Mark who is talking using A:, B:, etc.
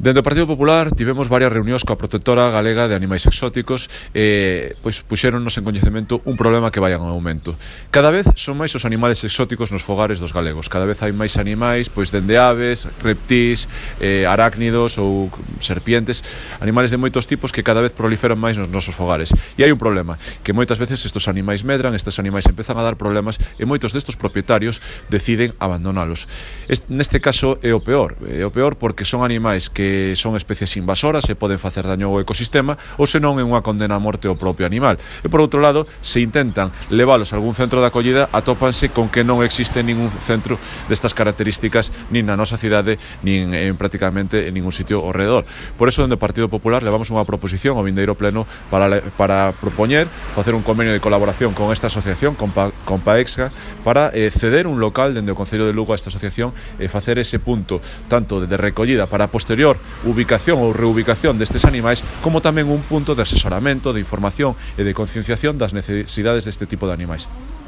A: Dende o Partido Popular tivemos varias reunións coa protectora galega de animais exóticos e puxéronnos en coñecemento un problema que vai en aumento. Cada vez son máis os animales exóticos nos fogares dos galegos. Cada vez hai máis animais, dende aves, reptís, arácnidos ou serpientes, animales de moitos tipos que cada vez proliferan máis nos nosos fogares. E hai un problema, que moitas veces estes animais medran, estes animais empezan a dar problemas e moitos destes propietarios deciden abandonalos. Neste caso é o peor porque son animais que son especies invasoras e poden facer daño ao ecosistema ou senón é unha condena a morte ao propio animal. E por outro lado, se intentan leválos a algún centro de acollida, atópanse con que non existe ningún centro destas características nin na nosa cidade nin prácticamente en ningún sitio ao redor. Por eso, dende o Partido Popular levamos unha proposición ao vindeiro pleno para propoñer facer un convenio de colaboración con esta asociación, con Paexga, para ceder un local dende o Concello de Lugo a esta asociación e facer ese punto tanto de recollida para posterior ubicación ou reubicación destes animais, como tamén un punto de asesoramento, de información e de concienciación das necesidades deste tipo de animais.